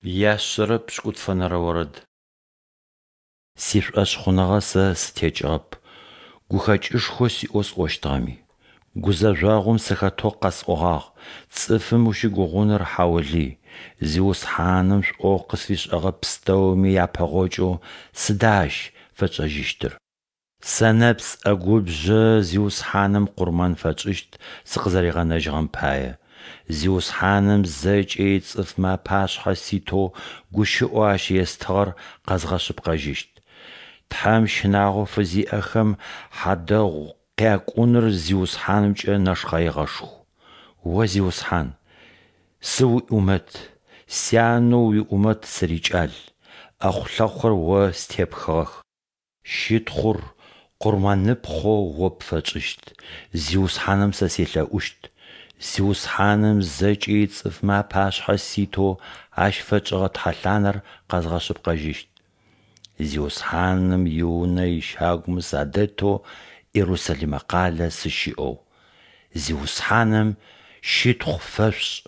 Яшъэрэ пшӏыкӏутфэнэрэ орэд. Сишӏошъхъуныгъэ сэ сытекӏыгъэп, гухэкӏышхо сиӏэу сӏощтыгъэми. Гузэжъогъум сыхэтэу къэсӏогъагъ: Цӏыфым ущыгугъыныр хьаулый. Зиусхьаным шӏоу къысфишӏэгъэ пстэуми япэгъокӏэу сыда Ащ фэтшӏэжьыщтыр? Сэнэпс ӏэгубжъэ Зиусхьаным къурмэн фэтшӏыщт сыкъызэригъэнэжьыгъэм пае, Зиусхьаным зэкӏэ ицӏыфмэ апашъхьэ ситэу гущыӏэу Ащ естыгъэр къэзгъэшъыпкъэжьыщт. Тхьэм щынагъо фызиӏэхэм хьадэгъу къякӏуныр Зиусхьанымкӏэ нэшхъэигъэшху. О Зиусхьан, сыуиӏумэт, сянэу уиӏумэт сырикӏал, ӏэхъулъэхъухэр О степхыгъэх. Щытхъур къурмэныпхъэу О пфэтшӏыщт, Зиусхьаным сэ селъэӏущт. Зиусхьаным зэкӏэ ицӏыфмэ апашъхьэ ситэу Ащ фэтшӏыгъэ тхьэлъанэр къэзгъэшъыпкъэжьыщт. Зиусхьаным и Унэ ищагумэ садэтэу Ерусалимэ къалэ сыщыӏэу. Зиусхьаным щытхъу фэшъушӏ!